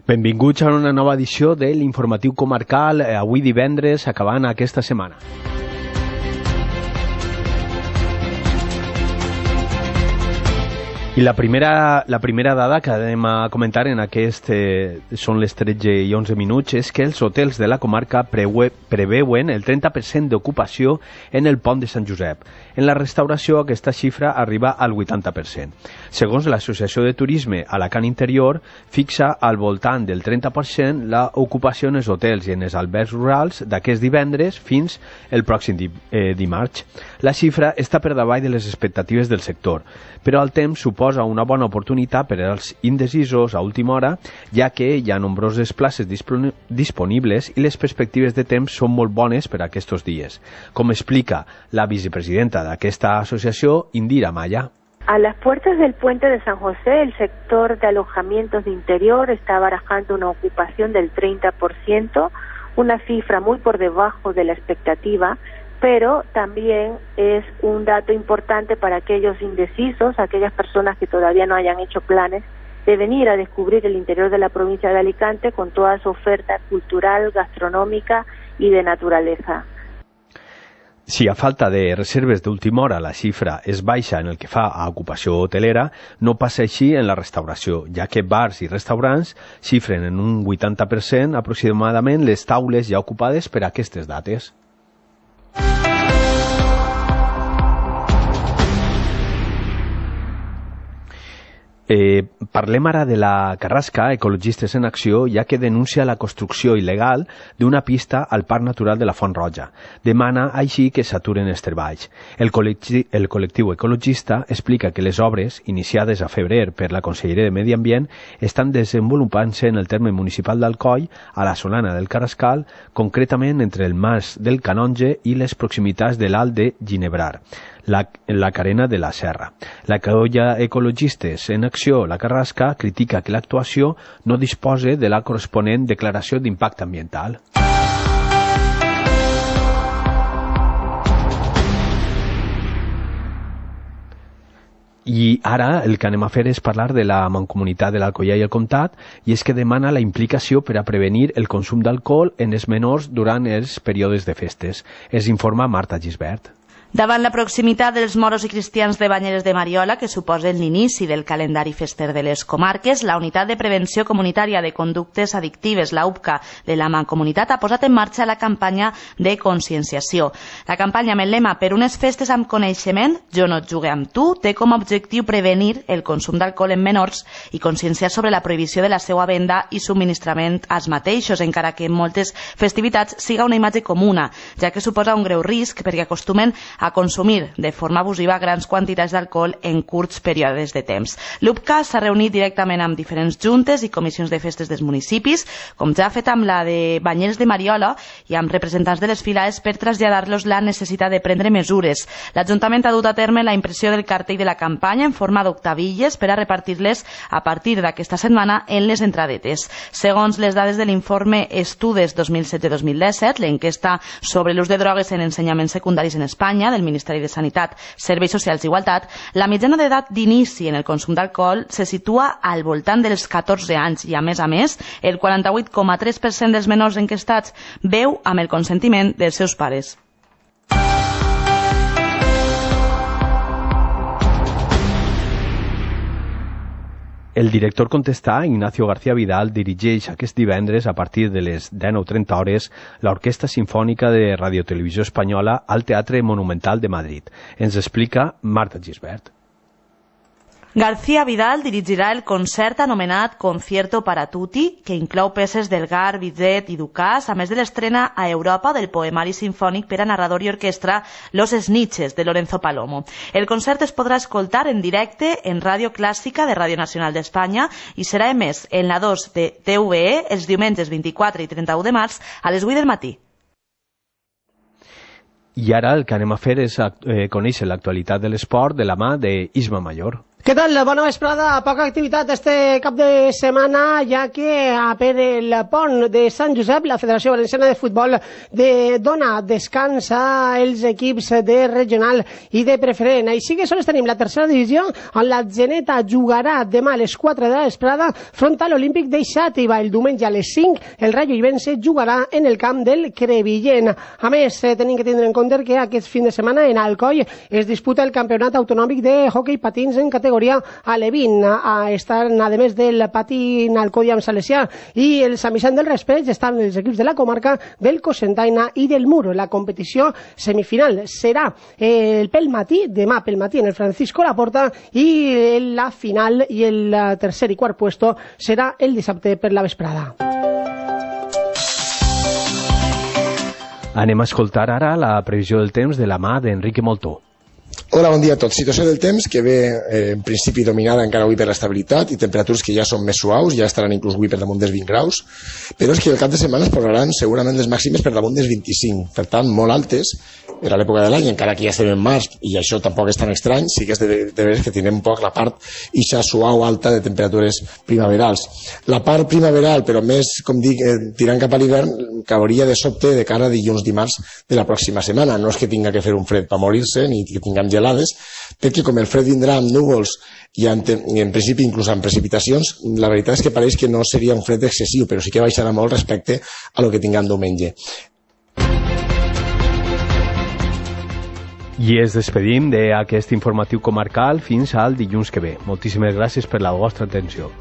Benvinguts a una nova edició de l'Informatiu Comarcal, avui divendres, acabant aquesta setmana. I la primera dada que anem a comentar en aquest, són les 13 i 11 minuts, és que els hotels de la comarca preveuen el 30% d'ocupació en el pont de Sant Josep. En la restauració aquesta xifra arriba al 80%. Segons l'Associació de Turisme Alacant Interior, fixa al voltant del 30% l'ocupació en els hotels i en els albergs rurals d'aquest divendres fins el pròxim dimarts. La xifra està per davall de les expectatives del sector, però el temps suposa una bona oportunitat per als indecisos a última hora, ja que hi ha nombroses places disponibles i les perspectives de temps són molt bones per a aquests dies, com explica la vicepresidenta d'aquesta asociació, Indira Maya. A las puertas del puente de San José, el sector de alojamientos de interior está barajando una ocupación del 30%, una cifra muy por debajo de la expectativa, pero también es un dato importante para aquellos indecisos, aquellas personas que todavía no hayan hecho planes de venir a descubrir el interior de la provincia de Alicante con toda su oferta cultural, gastronómica y de naturaleza. Si a falta de reserves d'última hora la xifra és baixa en el que fa a ocupació hotelera, no passa així en la restauració, ja que bars i restaurants xifren en un 80% aproximadament les taules ja ocupades per a aquestes dates. Parlem ara de la Carrasca, Ecologistes en Acció, ja que denuncia la construcció il·legal d'una pista al Parc Natural de la Font Roja. Demana així que s'aturen els treballs. El col·lectiu ecologista explica que les obres, iniciades a febrer per la Conselleria de Medi Ambient, estan desenvolupant-se en el terme municipal d'Alcoi, a la Solana del Carrascal, concretament entre el Mas del Canonge i les proximitats de l'Alt de Ginebrar, la carena de la Serra. La colla Ecologistes en Acció, la Carrasca, critica que l'actuació no disposa de la corresponent declaració d'impacte ambiental. I ara el que anem a fer és parlar de la Mancomunitat de l'Alcoià i el Comtat, i és que demana la implicació per a prevenir el consum d'alcohol en els menors durant els períodes de festes. Es informa Marta Gisbert. Davant la proximitat dels moros i cristians de Banyeres de Mariola, que suposen l'inici del calendari fester de les comarques, la Unitat de Prevenció Comunitària de Conductes Addictives, la UPCA, de la Mancomunitat, ha posat en marxa la campanya de conscienciació. La campanya amb el lema "Per unes festes amb coneixement, jo no et jugué amb tu", té com a objectiu prevenir el consum d'alcohol en menors i conscienciar sobre la prohibició de la seva venda i subministrament als mateixos, encara que en moltes festivitats siga una imatge comuna, ja que suposa un greu risc perquè acostumen a consumir de forma abusiva grans quantitats d'alcohol en curts períodes de temps. L'UPCA s'ha reunit directament amb diferents juntes i comissions de festes dels municipis, com ja ha fet amb la de Banyeres de Mariola i amb representants de les filades per traslladar-los la necessitat de prendre mesures. L'Ajuntament ha dut a terme la impressió del cartell de la campanya en forma d'octavilles per a repartir-les a partir d'aquesta setmana en les entradetes. Segons les dades de l'informe Estudes 2007-2017, l'enquesta sobre l'ús de drogues en ensenyaments secundaris en Espanya, del Ministeri de Sanitat, Serveis Socials i Igualtat, la mitjana d'edat d'inici en el consum d'alcohol se situa al voltant dels 14 anys i, a més, el 48,3% dels menors enquestats beu amb el consentiment dels seus pares. El director contestà, Ignacio García Vidal, dirigeix aquest divendres a partir de les 19:30 hores l'Orquestra Simfònica de Radiotelevisió Espanyola al Teatre Monumental de Madrid. Ens explica Marta Gisbert. García Vidal dirigirà el concert anomenat Concierto para Tutti, que inclou peces d'Elgar, Bizet i Ducas, a més de l'estrena a Europa del poemari sinfònic per a narrador i orquestra Los Snitches, de Lorenzo Palomo. El concert es podrà escoltar en directe en Ràdio Clàssica de Ràdio Nacional d'Espanya i serà emès en la 2 de TVE els diumenges 24 i 31 de març a les 8 del matí. I ara el que anem a fer és conèixer l'actualitat de l'esport de la mà d'Isma Mayor. Què tal? Bona vesprada. Poca activitat este cap de setmana, ja que per el pont de Sant Josep la Federació Valenciana de Futbol dona descans als equips de regional i de preferent. Així que sols tenim la tercera divisió, on la Geneta jugarà demà a les 4 de la vesprada front a l'Olímpic de Xàtiva. El diumenge a les 5 el Rayo Ibense jugarà en el camp del Crevillent. A més, tenim que tindre en compte que aquest fin de setmana en Alcoi es disputa el Campionat Autonòmic de Hockey Patins en categoria alevín. Estan, a més del patín Alcodiam Salesià i el Sant Vicent del Raspeig, estan els equips de la comarca del Cocentaina i del Muro. La competició semifinal serà pel matí, demà pel matí en el Francisco Laporta, i la final i el tercer i quart puesto serà el dissabte per la vesprada. Anem a escoltar ara la previsió del temps de la mà d'Enrique Moltó. Hola, bon dia a tots. Situació del temps que ve en principi dominada encara avui per l'estabilitat i temperatures que ja són més suaus, ja estaran inclús avui per damunt dels 20 graus, però és que el cap de setmana es posaran segurament les màximes per damunt dels 25, per tant molt altes per a l'època de l'any, encara que ja estem en març i això tampoc és tan estrany, sí que és de veres que tindrem un poc la part ixa suau alta de temperatures primaverals. La part primaveral, però més, com dic, tirant cap a l'hivern, cauria de sobte de cara a dilluns dimarts de la pròxima setmana. No és que tinga que fer un fred per morir-se ni que tinguem gelades, perquè com el fred vindrà amb núvols i en principi inclús amb precipitacions, la veritat és que pareix que no seria un fred excessiu, però sí que baixarà molt respecte a lo que tinguem diumenge. I ens despedim d'aquest informatiu comarcal fins al dilluns que ve. Moltíssimes gràcies per la vostra atenció.